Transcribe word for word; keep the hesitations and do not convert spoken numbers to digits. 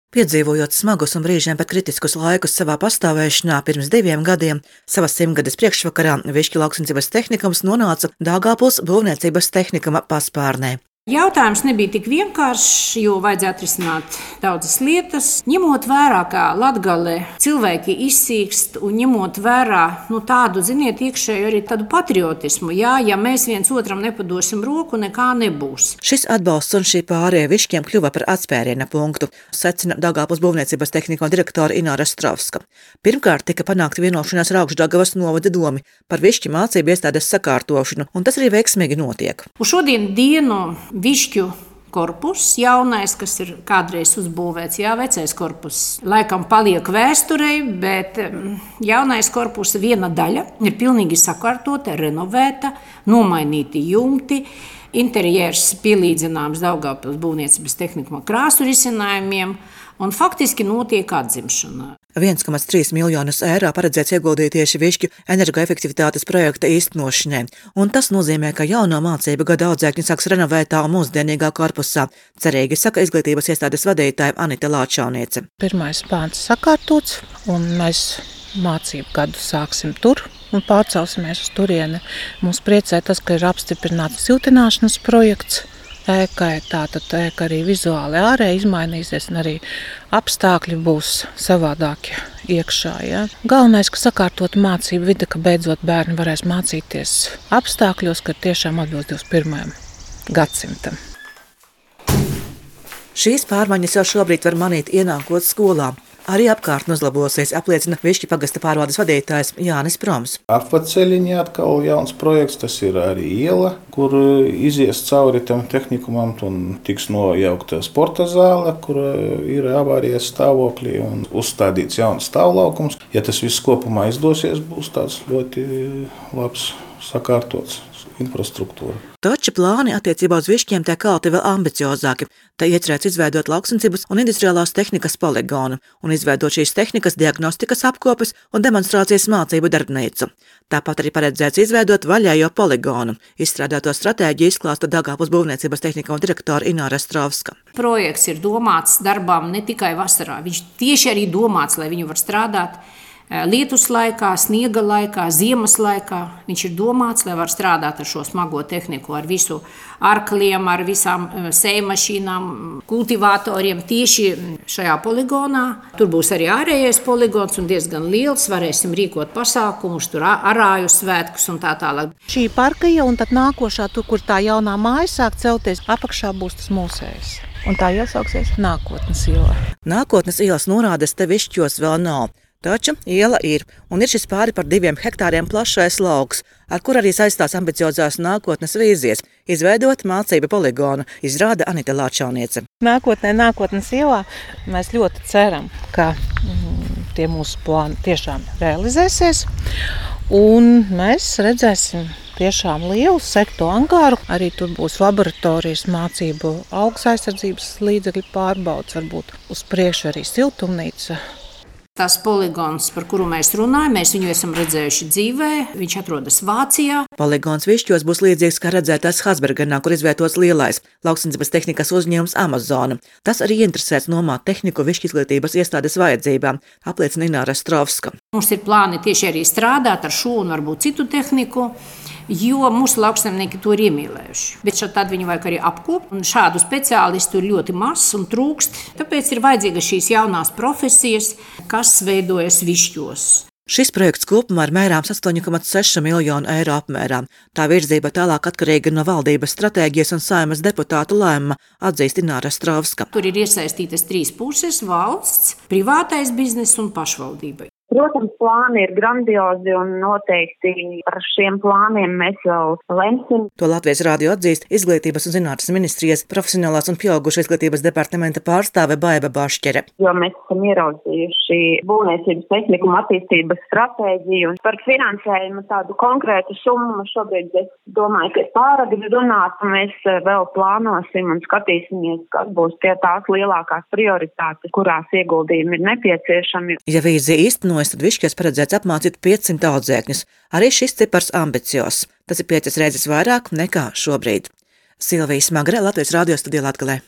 Piedzīvojot smagus un brīžiem pat kritiskus laikus savā pastāvēšanā, pirms diviem gadiem savas simtgades priekšvakarā Višķu lauksaimniecības tehnikums nonāca Daugavpils būvniecības tehnikuma paspārnē. Jautājums nebija tik vienkāršs, jo vajadzēja atrisināt daudzas lietas. Ņemot vērā, ka Latgale cilvēki izsīkst un ņemot vērā nu, tādu, ziniet, iekšēju arī tādu patriotismu. Jā, ja mēs viens otram nepadosim roku, nekā nebūs. Šis atbalsts un šī pārēja Višķiem kļuva par atspēriena punktu, secina Daugavpils būvniecības tehnikuma direktore Ināra Strovska. Pirmkārt tika panākta vienošanās ar Augšdaugavas novada domi par Višķu mācību iestādes sakārtošanu, un tas arī veiksmīgi notiek. Uz šodien dienu Višķu korpus, jaunais, kas ir kādreiz uzbūvēts, jā, vecais korpus, laikam paliek vēsturei, bet jaunais korpus viena daļa ir pilnīgi sakārtota, renovēta, nomainīti jumti, interjers pielīdzināms Daugavpils būvniecības tehnikuma krāsu risinājumiem, un faktiski notiek atzimšana. viens komats trīs miljonus eiro paredzēts ieguldīt tieši Višķu energoefektivitātes projekta īstenošanai, un tas nozīmē, ka jauno mācību gada audzēkņi sāks renovētā un mūsdienīgā korpusā. Cerīgi saka izglītības iestādes vadītāja Anita Lāčauniece. Pirmais pāns sakārtots, un mēs mācību gadu sāksim tur un pārcelsimies uz turieni. Mums priecē tas, ka ir apstiprināts siltināšanas projekts. Ēkai, tātad ēka arī vizuāli ārēji izmainīsies, un arī apstākļi būs savādāki iekšā. Ja? Galvenais, ka sakārtot mācību vide, ka beidzot bērni varēs mācīties apstākļos, ka tiešām atbilst divdesmit pirmajam gadsimtam. Šīs pārmaiņas jau šobrīd var manīt ienākot skolā. Arī apkārtne uzlabosies, apliecina Višķu pagasta pārvaldes vadītājs Jānis Proms. Apceļiņā atkal jauns projekts, tas ir arī iela, kur izies cauri tam tehnikumam un tiks nojaukta sporta zāle, kur ir avārijas stāvoklī un uzstādīts jauns stāvlaukums. Ja tas viss kopumā izdosies, būs tāds ļoti labs sakārtots infrastruktūra. Taču plāni attiecībā uz Višķiem tiek kalti vēl ambiciozāki. Te iecerēts izveidot lauksaimniecības un industriālās tehnikas poligonu un izveidot šīs tehnikas diagnostikas apkopes un demonstrācijas mācību darbnīcu. Tāpat arī paredzēts izveidot vaļējo poligonu. Izstrādāto stratēģiju izklāsta Daugavpils būvniecības tehnikuma direktore Ināra Strovska. Projekts ir domāts darbām ne tikai vasarā. Viņš tieši arī domāts, lai viņu var strādāt lietus laikā, sniega laikā, ziemas laikā. Viņš ir domāts, lai var strādāt ar šo smago tehniku, ar visu arkliem, ar visām sējmašīnām, kultivatoriem tieši šajā poligonā. Tur būs arī ārējais poligons un diezgan liels. Varēsim rīkot pasākumus, tur arāju svētkus un tā tālāk. Šī parka jau un tad nākošā, tur, kur tā jaunā māja sāk celties, apakšā būs tas mūsējs. Un tā iesauksies Nākotnes iela. Nākotnes ielas norādes te Višķos vēl nav. Taču iela ir, un ir šis pāri par diviem hektāriem plašais lauks, ar kur arī saistās ambiciozās nākotnes vīzijas – izveidot mācību poligonu, izrāda Anita Lāčauniece. Nākotnē, nākotnes ielā mēs ļoti ceram, ka mm, tie mūsu plāni tiešām realizēsies, un mēs redzēsim tiešām lielu sektu angāru. Arī tur būs laboratorijas mācību augs aizsardzības līdzekļu pārbaudas, varbūt uz priekšu arī siltumnīca. Tas poligons, par kuru mēs runājam, mēs viņu esam redzējuši dzīvē. Viņš atrodas Vācijā. Poligons Višķos būs līdzīgs kā redzētās Hasbergenā, kur izvietots lielais lauksaimniecības tehnikas uzņēmums Amazona. Tas arī interesēts nomāt tehniku Višķu izglītības iestādes vajadzībām, apliecina Ināra Strovska. Mums ir plāni tieši arī strādāt ar šo un varbūt citu tehniku, jo mūsu lauksaimnieki to ir iemīlējuši. Bet tad viņi vajag arī apkopt, un šādu speciālistu ir ļoti maz un trūkst. Tāpēc ir vajadzīga šīs jaunās profesijas, kas veidojas Višķos. Šis projekts kopumā ir mērāms astoņi komats seši miljonu eiro apmērā. Tā virzība tālāk atkarīga no valdības stratēģijas un Saeimas deputātu lēmuma, atzīst Ināra Strovska. Tur ir iesaistītas trīs puses – valsts, privātais biznes un pašvaldība. Protams, plāni ir grandiozi un noteikti par šiem plāniem mēs vēl lemsim. To Latvijas rādio atzīst Izglītības un zinātnes ministrijas profesionālās un pieaugušo izglītības departamenta pārstāve Baiba Bašķere. Jo mēs esam ieraudzījuši būvniecības tehnikuma attīstības stratēģiju un par finansējumu tādu konkrētu summu šobrīd es domāju, ka ir pāragri runāt, un mēs vēl plānosim un skatīsimies, kas būs tie tās lielākās prioritātes, kurās ieguldījumi ir nepieciešami. Ja vīzija īstenot, tad Višķos paredzēts apmācīt piecsimt audzēkņus. Arī šis cipars ambiciozs. Tas ir piecas reizes vairāk nekā šobrīd. Silvija Smagre, Latvijas radio studija Latgalē.